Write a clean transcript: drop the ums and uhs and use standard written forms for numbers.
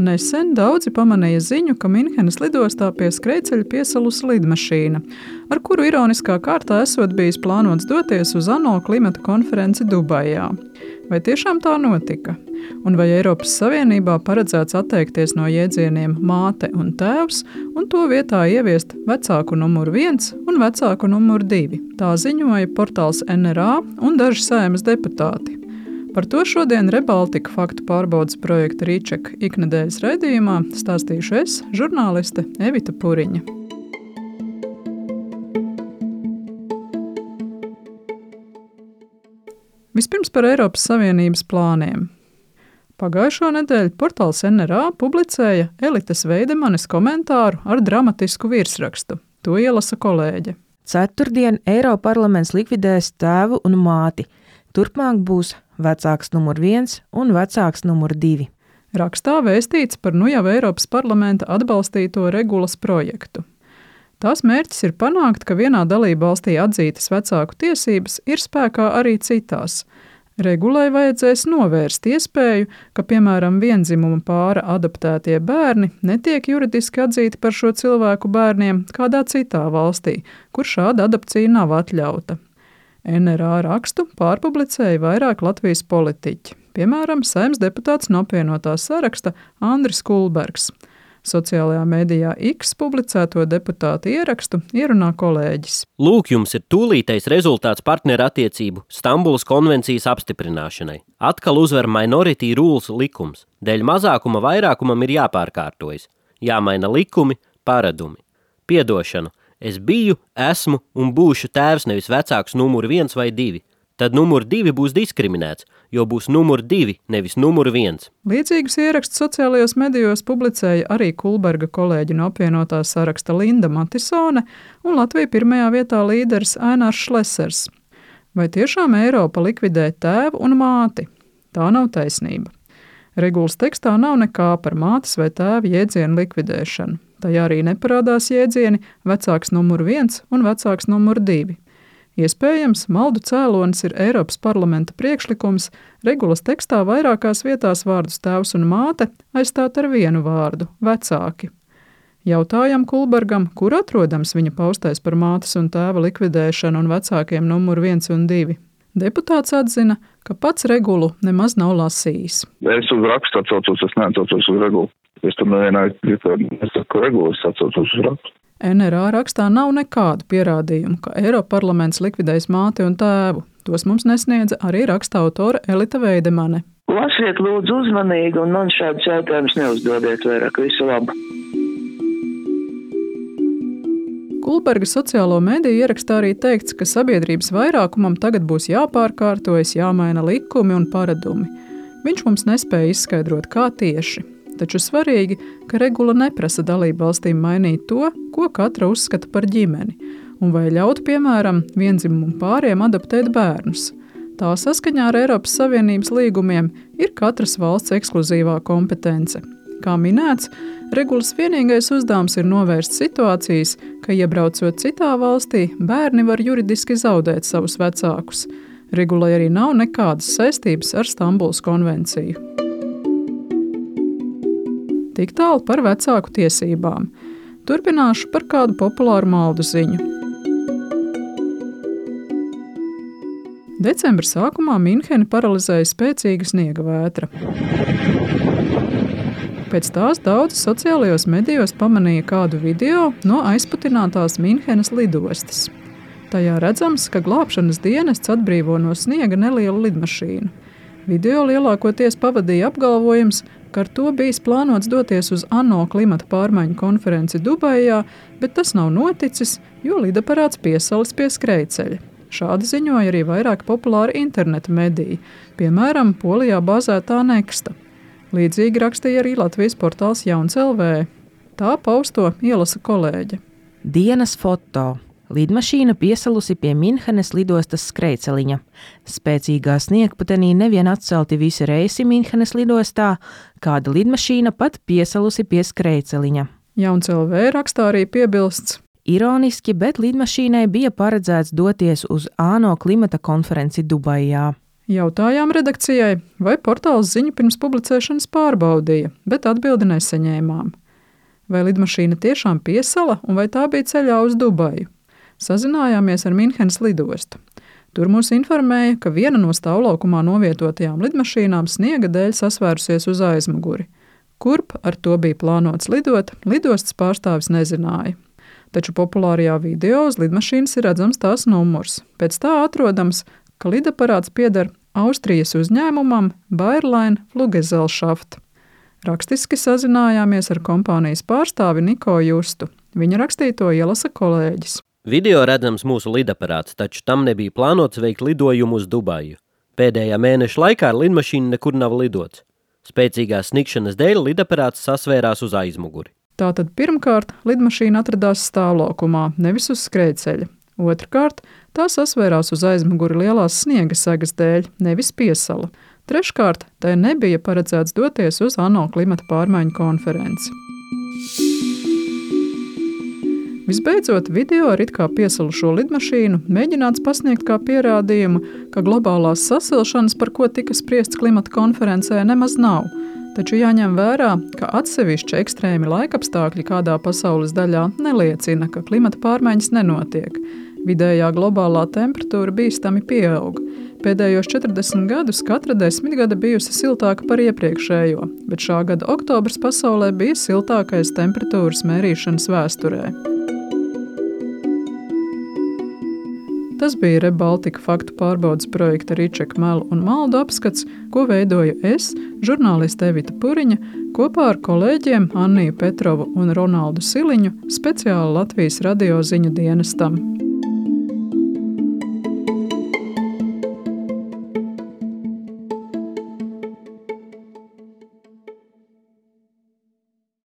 Nesen daudzi pamanīja ziņu, ka Minhenes lidostā pie skrejceļa piesalusi lidmašīna, ar kuru ironiskā kārtā esot bijis plānots doties uz ANO klimata konferenci Dubajā. Vai tiešām tā notika? Un vai Eiropas Savienībā paredzēts atteikties no jēdzieniem māte un tēvs un to vietā ieviest vecāku numuru 1 un vecāku numuru 2? Tā ziņoja portāls NRA un daži Saeimas deputāti. Par to šodien Rebaltika faktu pārbaudes projekta Rīčeka iknedēļas raidījumā stāstīšu es, žurnāliste Evita Puriņa. Vispirms par Eiropas Savienības plāniem. Pagājušo nedēļu portāls NRA publicēja Elites Veidemanes komentāru ar dramatisku virsrakstu. To ielasa kolēģe. Ceturtdien Eiroparlaments likvidēs tēvu un māti. Turpmāk būs vecāks numur 1 un vecāks numur 2. Rakstā vēstīts par nu jau Eiropas parlamenta atbalstīto regulas projektu. Tās mērķis ir panākt, ka vienā dalībvalstī atzītas vecāku tiesības ir spēkā arī citās. Regulai vajadzēs novērst iespēju, ka, piemēram, vienzimuma pāra adoptētie bērni netiek juridiski atzīti par šo cilvēku bērniem kādā citā valstī, kur šāda adopcija nav atļauta. NRA rakstu pārpublicēja vairāk Latvijas politiķi, piemēram, Saeimas deputāts no apvienotās saraksta Andris Kulbergs. Sociālajā mēdījā X publicēto deputātu ierakstu ierunā kolēģis. Lūk, jums ir tūlītais rezultāts partneru attiecību Stambulas konvencijas apstiprināšanai. Atkal uzvar minority rules likums. Dēļ mazākuma vairākumam ir jāpārkārtojas. Jāmaina likumi, paradumi. Piedošanu. Es biju, esmu un būšu tēvs nevis vecāks numur 1 vai 2. Tad numur 2 būs diskriminēts, jo būs numur 2, nevis numur 1. Līdzīgus ierakstus sociālajos medijos publicēja arī Kulberga kolēģi no apvienotā saraksta Linda Matisone un Latvija pirmajā vietā līderis Ainārs Šlesers. Vai tiešām Eiropa likvidē tēvu un māti? Tā nav taisnība. Regulas tekstā nav nekā par mātes vai tēva jēdzienu likvidēšanu. Tajā arī neparādās jēdzieni vecāks numur 1 un vecāks numur 2. Iespējams, maldu cēlonis ir Eiropas parlamenta priekšlikums regulas tekstā vairākās vietās vārdus tēvs un māte aizstāt ar vienu vārdu – vecāki. Jautājam Kulbergam, kur atrodams viņa paustais par mātes un tēva likvidēšanu un vecākiem numur 1 un 2. Deputāts atzina, ka pats regulu nemaz nav lasījis. Es uz rakstu atsaucos, es neatsaucos uz regulu. Es tam nevienā nesaku regulu, es atsaucos uz rakstu. NRA rakstā nav nekādu pierādījumu, ka Eiroparlaments likvidēs māti un tēvu. Tos mums nesniedza arī raksta autore Elita Veidemane. Lasiet lūdzu uzmanīgi un man šādus jautājumus neuzdodiet vairāk, visu labu. Kulberga sociālo mediju ierakstā arī teikts, ka sabiedrības vairākumam tagad būs jāpārkārtojas, jāmaina likumi un paradumi. Viņš mums nespēja izskaidrot, kā tieši. Taču svarīgi, ka regula neprasa dalību valstīm mainīt to, ko katra uzskata par ģimeni, un vai ļaut, piemēram, vienzimumu pāriem adoptēt bērnus. Tā saskaņā ar Eiropas Savienības līgumiem ir katras valsts ekskluzīvā kompetence. Kā minēts, regulas vienīgais uzdevums ir novērst situācijas, ka, iebraucot citā valstī, bērni var juridiski zaudēt savus vecākus. Regulai arī nav nekādas saistības ar Stambulas konvenciju. Tik tālu par vecāku tiesībām. Turpināšu par kādu populāru maldu ziņu. Decembra sākumā Minheni paralizēja spēcīga sniega vētra. Pēc tās daudzi sociālajos medijos pamanīja kādu video no aizputinātās Minhenes lidostas. Tajā redzams, ka glābšanas dienests atbrīvo no sniega nelielu lidmašīnu. Video lielākoties pavadīja apgalvojums, ka ar to bijis plānots doties uz ANO klimata pārmaiņu konferenci Dubajā, bet tas nav noticis, jo lidaparāts piesalis pie skrejceļa. Šādi ziņoja arī vairāk populāri interneta mediji, piemēram, Polijā bāzētā Nexta. Līdzīgi rakstīja arī Latvijas portāls Jauns LV. Tā pausto ielasa kolēģe. Dienas foto. Lidmašīna piesalusi pie Minhenes lidostas skrejceliņa. Spēcīgā sniegputenī nevien atcelti visi reisi Minhenes lidostā, kāda lidmašīna pat piesalusi pie skrejceliņa. Jauns LV rakstā arī piebilsts. Ironiski, bet lidmašīnai bija paredzēts doties uz ANO klimata konferenci Dubajā. Jautājām redakcijai, vai portāls ziņu pirms publicēšanas pārbaudīja, bet atbildi nesaņēmām. Vai lidmašīna tiešām piesala un vai tā bija ceļā uz Dubaju? Sazinājāmies ar Minhenes lidostu. Tur mūs informēja, ka viena no stāvlaukumā novietotajām lidmašīnām sniega dēļ sasvērusies uz aizmuguri. Kurp ar to bija plānots lidot, lidostas pārstāvis nezināja. Taču populārajā video uz lidmašīnas ir redzams tās numurs. Pēc tā atrodams, ka lidaparāts pieder Austrijas uzņēmumam Bayerlein Fluggesellschaft. Rakstiski sazinājāmies ar kompānijas pārstāvi Niko Justu. Viņa rakstīto ielasa kolēģis. Video redzams mūsu lidaparāts, taču tam nebija plānots veikt lidojumu uz Dubaju. Pēdējā mēneša laikā ar lidmašīnu nekur nav lidots. Spēcīgās snikšanas dēļ lidaparāts sasvērās uz aizmuguri. Tātad pirmkārt, lidmašīna atradās stāvlaukumā, nevis uz skrejceļa. Otrkārt, tā sasvērās uz aizmuguri lielās sniega segas dēļ, nevis piesala. Treškārt, tai nebija paredzēts doties uz ANO klimata pārmaiņu konferenci. Visbeidzot, video ar it kā piesalušo lidmašīnu mēģināts pasniegt kā pierādījumu, ka globālās sasilšanas, par ko tika spriests klimata konferencē, nemaz nav. Taču jāņem vērā, ka atsevišķi ekstrēmi laikapstākļi kādā pasaules daļā neliecina, ka klimata pārmaiņas nenotiek. Vidējā globālā temperatūra bīstami pieaug. Pēdējos 40 gadus katra 10 gada bijusi siltāka par iepriekšējo, bet šā gada oktobrs pasaulē bija siltākais temperatūras mērīšanas vēsturē. Tas bija ReBaltica faktu pārbaudes projekta Ričeka melu un maldu apskats, ko veidoju es, žurnāliste Evita Puriņa, kopā ar kolēģiem Anniju Petrovu un Ronaldu Siliņu speciāli Latvijas radio ziņu dienestam.